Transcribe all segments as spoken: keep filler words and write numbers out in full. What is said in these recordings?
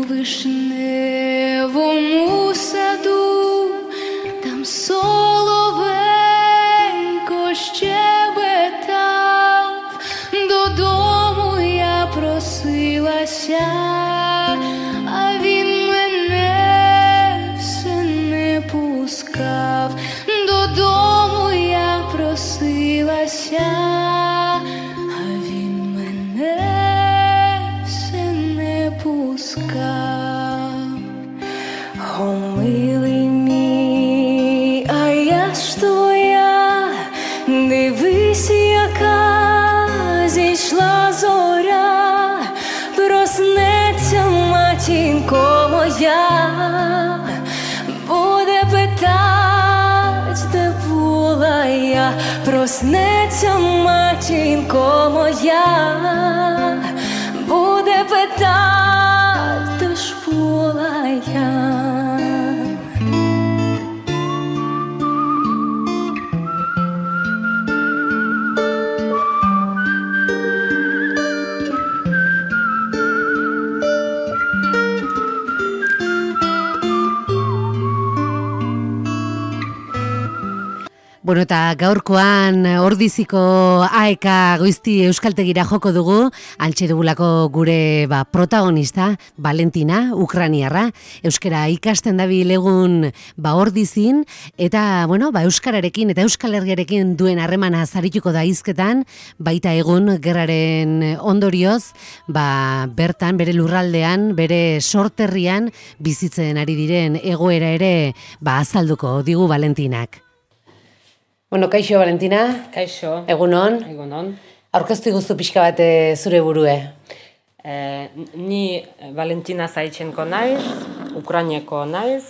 вишневому саду, там соловейко щебетав, додому я просилася, а він мене все не пускав. Додому я просилася, а він мене все не пускав. О, милий мій, а я ж твоя, дивись, яка зійшла зоря, проснеться матінко моя, буде питать, де була я, проснеться матінко моя, буде питать, де ж була я. Bueno, eta gaurkoan Ordiziko aeka goizti euskaltegira joko dugu, antxe dugulako gure ba, protagonista, Valentina, ukraniarra, euskara ikasten dabil egun ba, Ordizin, eta bueno, ba, euskararekin eta euskal herriarekin duen harremana zarituko da hizketan, baita egun gerraren ondorioz, ba, bertan, bere lurraldean, bere sorterrian bizitzen ari diren egoera ere ba, azalduko digu Valentinak. Bueno, kaixo, Valentina. Kaixo. Egunon. Egunon. Aurkeztu iguztu pixka bat zure burue. E, ni Valentina Zaitxenko naiz, Ukrainiako naiz,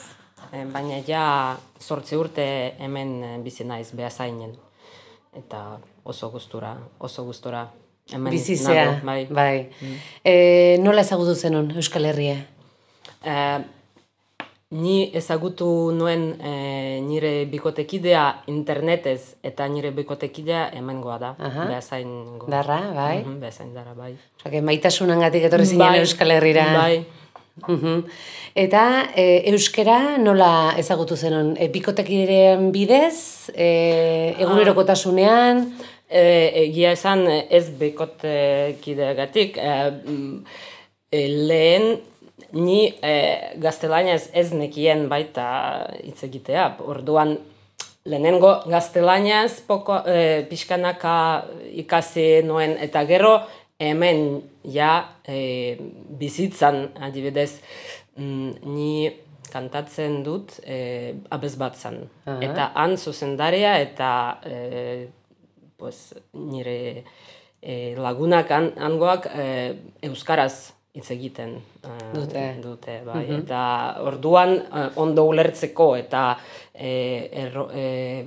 e, baina ja zortzi urte hemen bizi naiz Beasainen. Eta oso gustura, oso gustura hemen bizizea, nago, bai. bai. Mm. E, nola ezagutu zenun Euskal Herria? E, Ni ezagutu nuen e, nire bikotekidea internetez, eta nire bikotekidea hemengoa da, Beasaingoa. Darra, bai? Mm-hmm, Beasain darra, bai. Oke, maitasunengatik etorri zinen bai, Euskal Herrira. Bai. Uh-huh. Eta e, euskera nola ezagutu zenun? E, bikotekidearen bidez, e, egunerokotasunean? E, egia esan ez bikotekideagatik, e, e, lehen ni e, gaztelaniaz ez nekien baita hitz egitea. Orduan lehenengo gaztelaniaz poko, e, pixkanaka ikasi noen, eta gero hemen ja e, bizitzan adibidez ni kantatzen dut e, abesbatzan. Uh-huh. Eta han zuzendaria eta e, pues, nire e, lagunak an, angoak e, euskaraz hitz egiten uh, dute. dute bai. Mm-hmm. Eta orduan uh, ondo ulertzeko eta eh, erro, eh,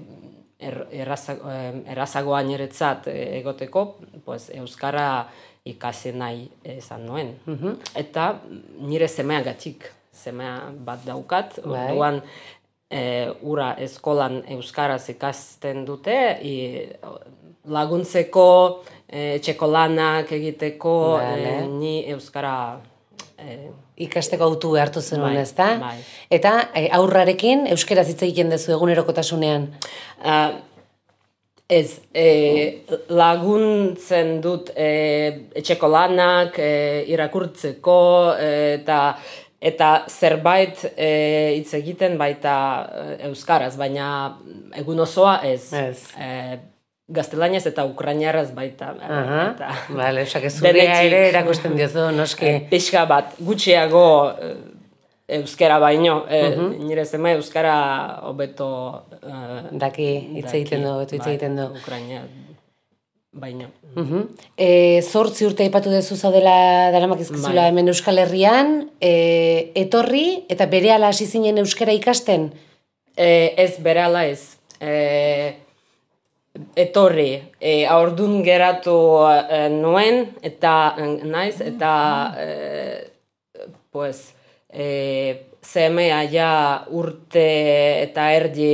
er, erraza, eh, errazagoa niretzat egoteko, pues, euskara ikasi nahi izan nuen. Mm-hmm. Eta nire semeagatik, semea bat daukat, bai. Orduan eh, ura eskolan euskaraz ikasten dute, i, laguntzeko, E, txeko lanak egiteko, vale. e, ni euskara e, ikasteko autu behartu zenuen, bai, ezta? Bai. Eta e, aurrarekin euskeraz hitz egiten duzu egunerokotasunean? Uh, ez, e, laguntzen dut e, etxeko lanak e, irakurtzeko e, eta eta zerbait e, hitz egiten baita e, euskaraz, baina egun osoa ez. Ez. E, gaztelaniaz eta ukrainiaraz baita. Aha, bale, osake zurea ere erakusten diozu, noski. E, pixka bat, gutxiago e, euskara baino, e, uh-huh. nire zema euskara hobeto e, daki hitz egiten du, hobeto hitz egiten du. Ukrainia baino. Uh-huh. E, zortzi urte aipatu dezu zaudela daramak izkizula hemen Euskal Herrian, e, etorri eta berehala hasi zinen euskara ikasten? E, ez, berehala ez. E, etorri, e, aurdun geratu e, nuen, eta naiz, eta e, pues, e, zemea ja urte eta erdi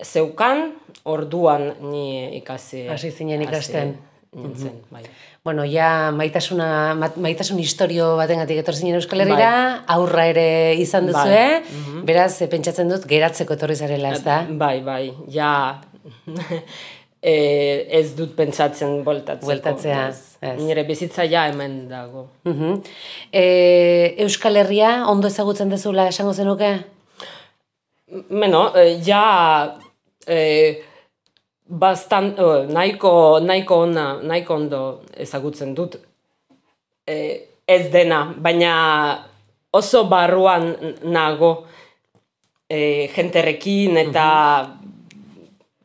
zeukan, orduan ni ikasi. Hasi zinen ikasten. nintzen, bai. Bueno, ja maitasuna, maitasun historio batengatik etorri zinen Euskal Herrira, aurra ere izan duzue, beraz, pentsatzen dut, geratzeko etorri zarela, ez da? Bai, bai, ja ez dut pentsatzen bueltatzeko. Bueltatzea, ez. Nire bizitza ja hemen dago. Euskal Herria ondo ezagutzen dezula esango zenuke? Beno, ja... Bastan, oh, nahiko, nahiko, ona, nahiko ondo ezagutzen dut e, ez dena, baina oso barruan nago e, jenterekin eta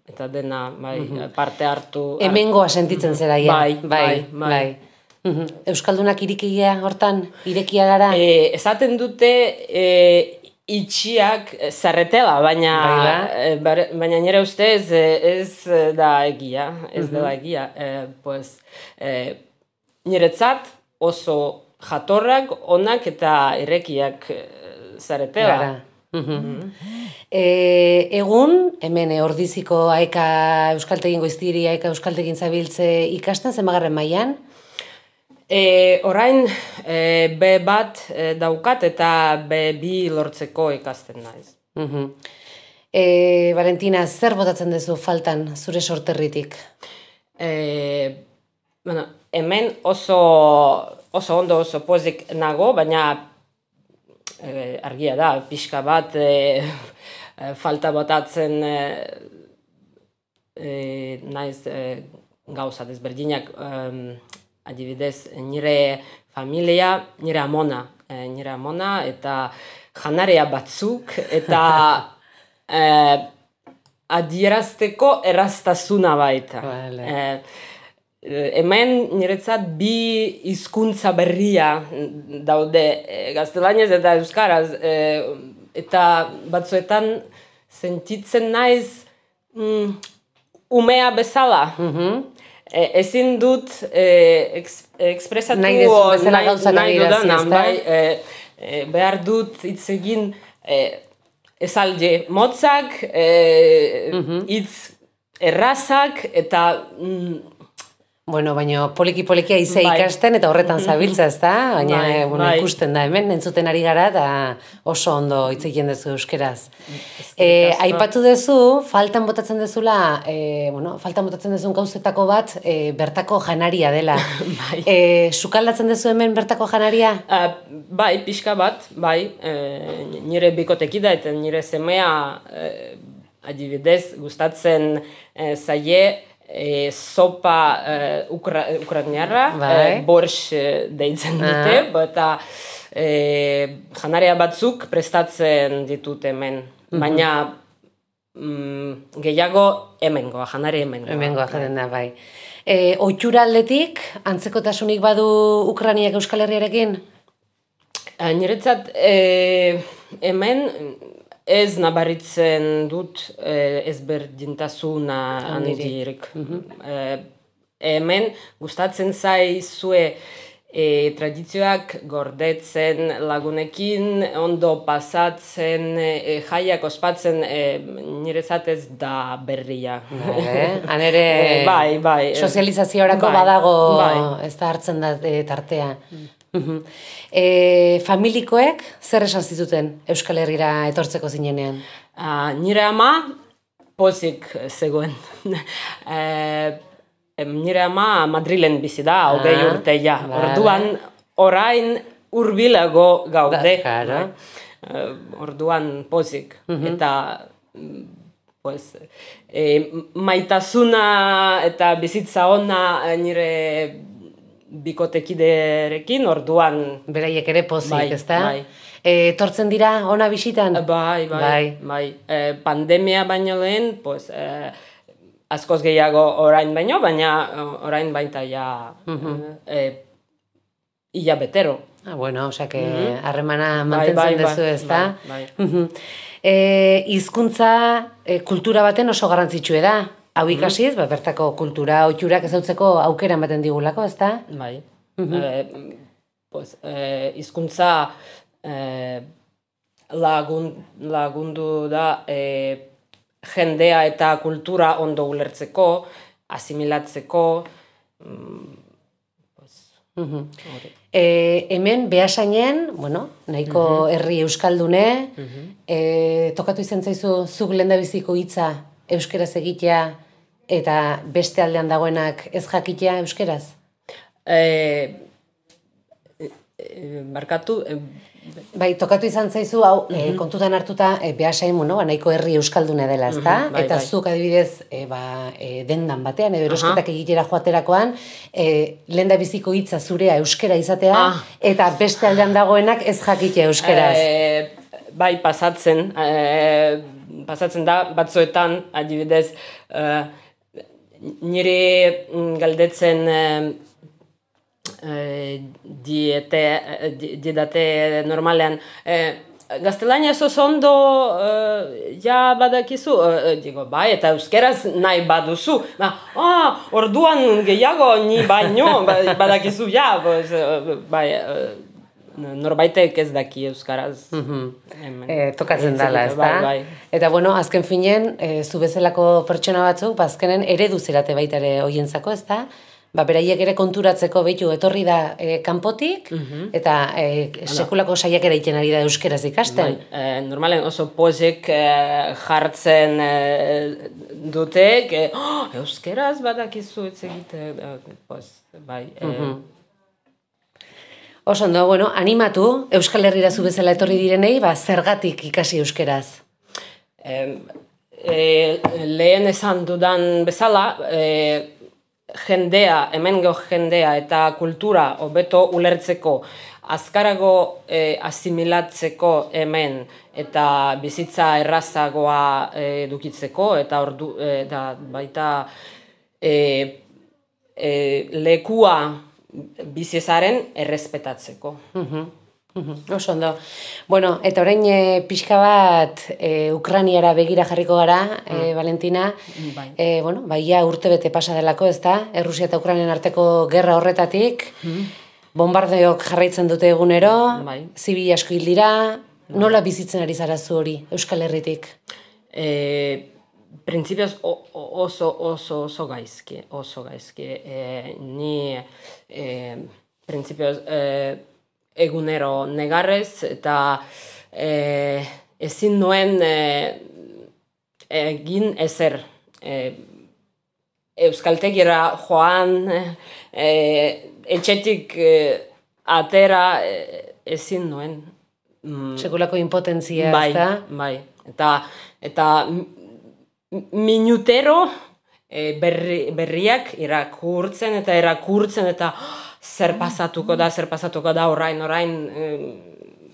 eta dena bai, parte hartu. Hemengoa sentitzen zera, ja. Bai, bai, bai. bai. Euskaldunak irekia hortan, irekia gara? E, esaten dute... E, itxiak zarretela, baina, baina nire ustez ez da egia, ez dela egia. E, pues, e, niretzat oso jatorrak, onak eta irekiak zarretela. Mm-hmm. E, egun, hemen Ordiziko Aeka Euskaltegin goiztiri, Aeka Euskaltegin zabiltze ikasten, zenbagarren mailan? E, orain e, B bat e, daukat eta B bi lortzeko ikasten naiz. Uh-huh. E, Valentina, zer botatzen duzu faltan zure sorterritik? E, bueno, hemen oso, oso ondo oso pozik nago, baina e, argia da, pixka bat e, falta botatzen e, e, naiz e, gauza desberdinak. E, Adibidez, nire familia, nire amona, e, nire amona eta janarea batzuk eta e, adierazteko erraztasuna baita. Vale. E, hemen niretzat bi hizkuntza berria daude, e, gaztelaniaz eta euskaraz, e, eta batzuetan sentitzen naiz mm, umea bezala. Mhm. E, ezin dut e, eks, ekspresatu nahi dezun bezala gauzak adirazi, ez da? Bai, e, e, behar dut hitz egin e, esaldi motzak, e, hitz errazak eta... Mm, bueno, baina poliki-poliki aize bai. ikasten eta horretan zabiltza, ez da? Baina bai, bueno, bai. ikusten da hemen, entzuten ari gara eta oso ondo hitz egiten duzu euskeraz. E, aipatu duzu, faltan botatzen dezula, e, bueno, faltan botatzen dezun gauzetako bat, e, bertako janaria dela. bai. E, sukaldatzen dezu hemen bertako janaria? Uh, bai, pixka bat, bai, e, nire bikotekida eta nire semea e, adibidez gustatzen e, zaie E, sopa e, ukra, ukraniarra, bai. e, borsch deitzen dute, eta e, janaria batzuk prestatzen ditut hemen, baina mm, gehiago hemengoa, janari hemengoa. Hemengoa jaten da, bai. E, ohitura aldetik, antzekotasunik badu Ukraniak Euskal Herriarekin? E, niretzat e, hemen ez nabaritzen dut eh, ezberdintasuna handirik. Eh, hemen gustatzen zaizue eh, tradizioak gordetzen lagunekin, ondo pasatzen, eh, jaiak ospatzen, eh, niretzat ez da berria. Han ere eh, bai, bai, sozializaziorako bai, badago bai. ez da hartzen da e, tartea. E, familikoek zer esan zizuten Euskal Herrira etortzeko zinenean? Uh, nire ama pozik zegoen. e, nire ama Madrilen bizi da, hogei ah, urte ja. Vale. Orduan, orain hurbilago gaude. Da, uh, orduan pozik. Uh-huh. Eta pues, e, maitasuna eta bizitza ona nire bikotekiderekin, orduan... Beraiek ere pozik, bai, ezta? Bai. E, tortzen dira ona bisitan? Bai, bai, bai. bai. E, pandemia baino lehen, pues, e, askoz gehiago orain baino, baina orain baita ja uh-huh. e, ia betero. Ah, bueno, osea que harremana uh-huh. mantentzen bai, bai, dezu, ezta? Bai, bai. Uh-huh. E, hizkuntza e, kultura baten oso garrantzitsua da. Hau ikasiz, ba, bertako kultura, oiturak ezautzeko aukera ematen digulako, ezta? Bai. Uh-huh. E, pues, e, hizkuntza e, lagun, lagundu da e, jendea eta kultura ondo ulertzeko, asimilatzeko, mm, pues, Mhm. hori. E, hemen Beasainen, bueno, nahiko herri euskaldune, e, tokatu izan zaizu zuk lehendabiziko hitza euskeraz egitea eta beste aldean dagoenak ez jakitea euskeraz? E, e, barkatu, e, Bai, tokatu izan zaizu, hau, e, kontutan hartuta, e, Beasain, bueno, ba, nahiko herri euskaldune dela, ezta? Mhm, bai, eta bai. zuk adibidez, e, ba, e, dendan batean, edo erosketak egitera joaterakoan, e, lehendabiziko hitza zurea euskera izatea, Ah. eta beste aldean dagoenak ez jakitea euskeraz. E, bai, pasatzen, e, pasatzen da, batzuetan, adibidez, e, nire mm, galdetzen e, e, diete, di, didate normalean, e, gaztelaniaz oso ondo e, ja badakizu, e, digo, bai, eta euskeraz nahi baduzu, ba, ah, orduan gehiago ni baino, ba- badakizu, ja, pues, e, bai, e, norbaitek ez daki euskaraz. Hemen. E, tokatzen Hitz dela, egiten, ezta? Bai, bai. Eta bueno, azken finen, e, zu bezalako pertsona batzuk, ba, azkenen eredu zerate baita ere hoientzako, ezta? Ba, beraiek ere konturatzeko behitu etorri da e, kanpotik, eta e, sekulako saiakera egiten ari da euskeraz ikasten. Bai, e, normalen oso pozik e, jartzen e, dutek, e, oh, euskeraz badakizu hitz egite, e, pues, bai. E, Oso ondo, bueno, animatu, Euskal Herrira zu bezala etorri direnei, ba, zergatik ikasi euskeraz. e, e, lehen esan dudan bezala, e, jendea, hemengo jendea eta kultura hobeto ulertzeko, azkarago e, asimilatzeko hemen eta bizitza errazagoa e, edukitzeko eta ordu e, da, baita e, e, lekua bizitzaren errespetatzeko. Oso ondo. Bueno, eta orain e, pixka bat e, Ukraniara begira jarriko gara, e, Valentina. Bai. E, bueno, baia urte bete pasa delako, ezta? Errusia eta Ukrainian arteko gerra horretatik. Bombardeok jarraitzen dute egunero, Bai. zibil asko hil dira. Nola bizitzen ari zara zu hori, Euskal Herritik? E, Printzipioz o- o- oso, oso, oso gaizki, oso gaizki. E, ni e, printzipioz e, egunero negarrez eta e, ezin nuen e, egin ezer. E, Euskaltegira joan, e, etxetik e, atera e, ezin nuen. Mm, Sekulako impotentzia, bai, ezta? bai. Eta, eta m- minutero e, berri, berriak irakurtzen eta irakurtzen eta "Oh, zer pasatuko da, zer pasatuko da, orain, orain e,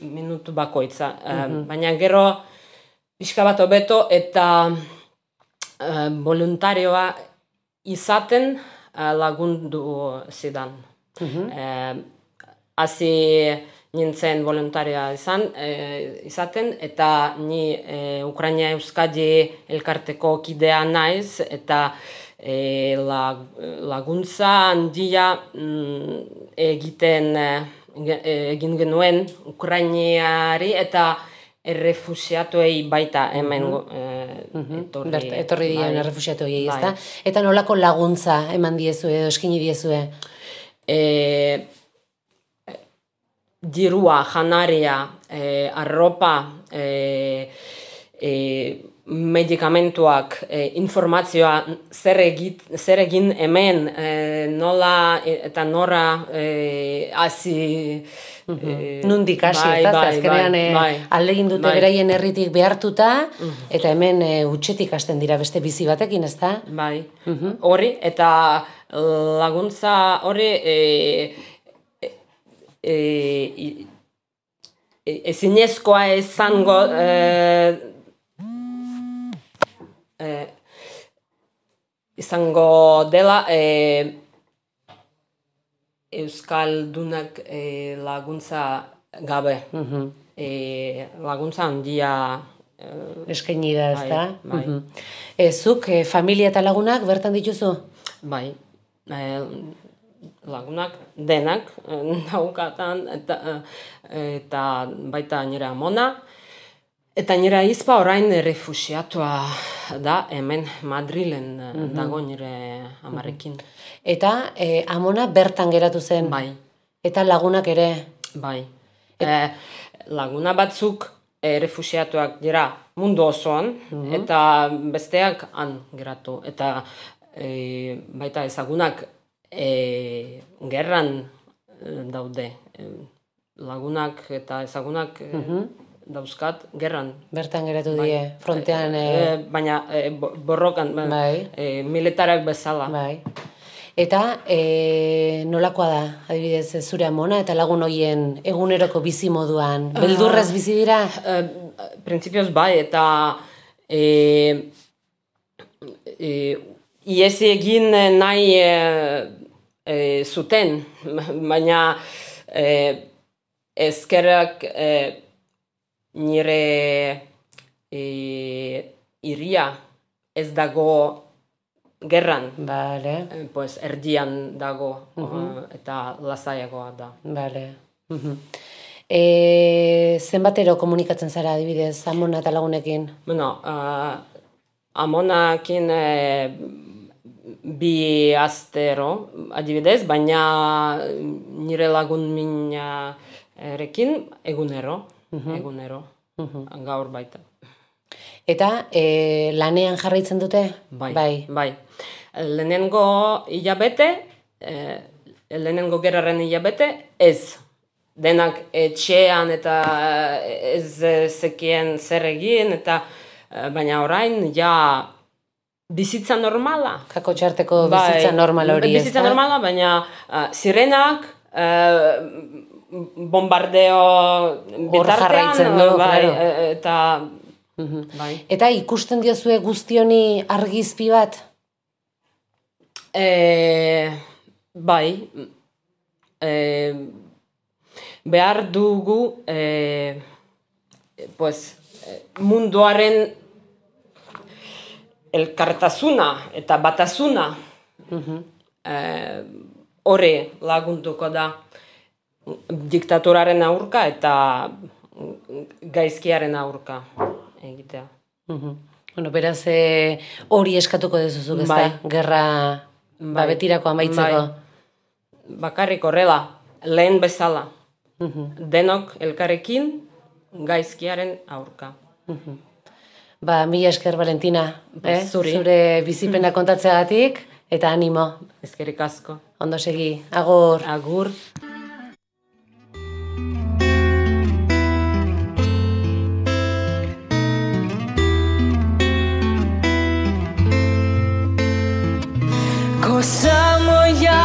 minutu bakoitza. E, baina gero pixka bat hobeto eta e, voluntarioa izaten e, lagundu zidan. E, hasi nintzen voluntaria izan, e, izaten, eta ni e, Ukraina Euskadi elkarteko kidea naiz, eta e, lag, laguntza handia mm, egiten e, egin genuen Ukrainiari eta errefusiatuei baita hemen e, etorri, Bert, etorri diren bai, errefusiatu horiei, bai. ezta? Eta nolako laguntza eman diezue edo eskini diezue? E, dirua, janaria, e, arropa, e, e, medikamentuak, e, informazioa, zer, egit, zer egin hemen, e, nola e, eta nora e, hasi... e, Nundik hasi, bai, ezta? bai, Azkenean bai, eh, bai. ahalegin dute Bai. beraien herritik behartuta, eta hemen eh, hutsetik hasten dira beste bizi batekin, ezta? Bai, hori, eta laguntza hori e, e, e, i- e, ezinezkoa izango e, e, izango dela e, Euskaldunak e, laguntza gabe. E, laguntza handia e, Eskaini da, ezta? Bai, bai. Mhm. E, zuk, eh, familia eta lagunak bertan dituzu? Bai, e, lagunak denak e, naukatan eta, e, eta baita nire amona. Eta nire ahizpa orain refusiatua da, hemen Madrilen mm-hmm. dago nire amarekin. Eta e, amona bertan geratu zen? Bai. Eta lagunak ere? Bai. Et... E, laguna batzuk e, refusiatuak dira mundu osoan, mm-hmm. eta besteak han geratu. Eta e, baita ezagunak e, gerran daude. E, lagunak eta ezagunak mm-hmm. dauzkat gerran. Bertan geratu bai. Die, frontean... E... E, baina e, borrokan, bai. e, militarak bezala. Bai. Eta e, nolakoa da, adibidez, zure amona eta lagun hoien eguneroko bizi moduan? Beldurrez bizi dira? Uh, Printzipioz bai, eta e, e, iesi egin nahi e, e, zuten, baina e, ezkerrak e, nire e, iria ez dago gerran, vale. Pues erdian dago uh-huh. eta lasaiagoa da. Vale. Uh-huh. E, zenbatero komunikatzen zara adibidez amona eta lagunekin? Bueno, uh, amonakin e, bi astero adibidez, baina nire lagun minarekin egunero, uh-huh. egunero, uh-huh. gaur baita. Eta e, lanean jarraitzen dute? Bai, bai. bai. Lehenengo hilabete, e, lehenengo gerraren hilabete, ez. Denak etxean eta ez zekien zer egin, eta baina orain ja bizitza normala. Kako txarteko bizitza bai, normala hori ez da? Bizitza normala, baina uh, sirenak, uh, bombardeo bitartean, du, bai, claro. eta... Uhum. Bai. Eta ikusten diozue guztioni argizpi bat? E, bai. E, behar dugu e, pues, munduaren elkartasuna eta batasuna uhum. e, hori lagunduko da diktatoraren aurka eta gaizkiaren aurka egitea. Uh-huh. Bueno, beraz hori e, eskatuko dezuzuk, ez bai. Da? Gerra bai. Ba, betirako amaitzeko. Bai. Bakarrik horrela, lehen bezala. Uh-huh. Denok elkarrekin gaizkiaren aurka. Uh-huh. Ba, mila esker, Valentina. Ba, eh? Zure bizipena kontatzeagatik eta animo. Eskerrik asko. Ondo segi. Agur. Agur. Коса моя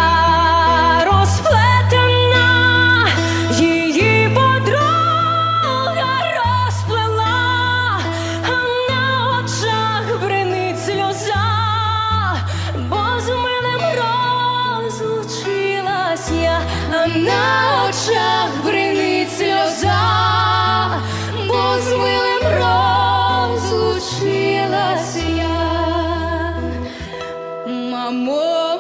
розплетена, її подруга розплела, а на очах бринить сльоза, бо з милим розлучилась я, а на очах бринить сльоза, бо з милим розлучилась я. Мамо,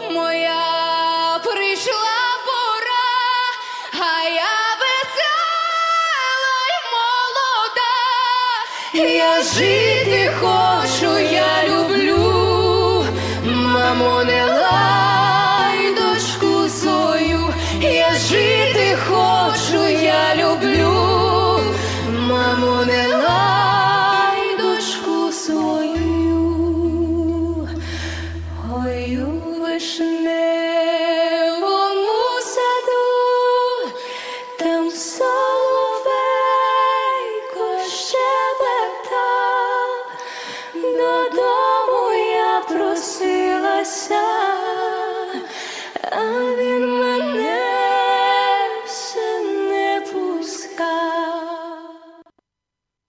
я жити хочу, я люблю, мамо, не лай дочку свою, я жити хочу, я люблю, мамо, не лай дочку свою, ой, у вишневому саду, там соловейко щебетав, додому я просив.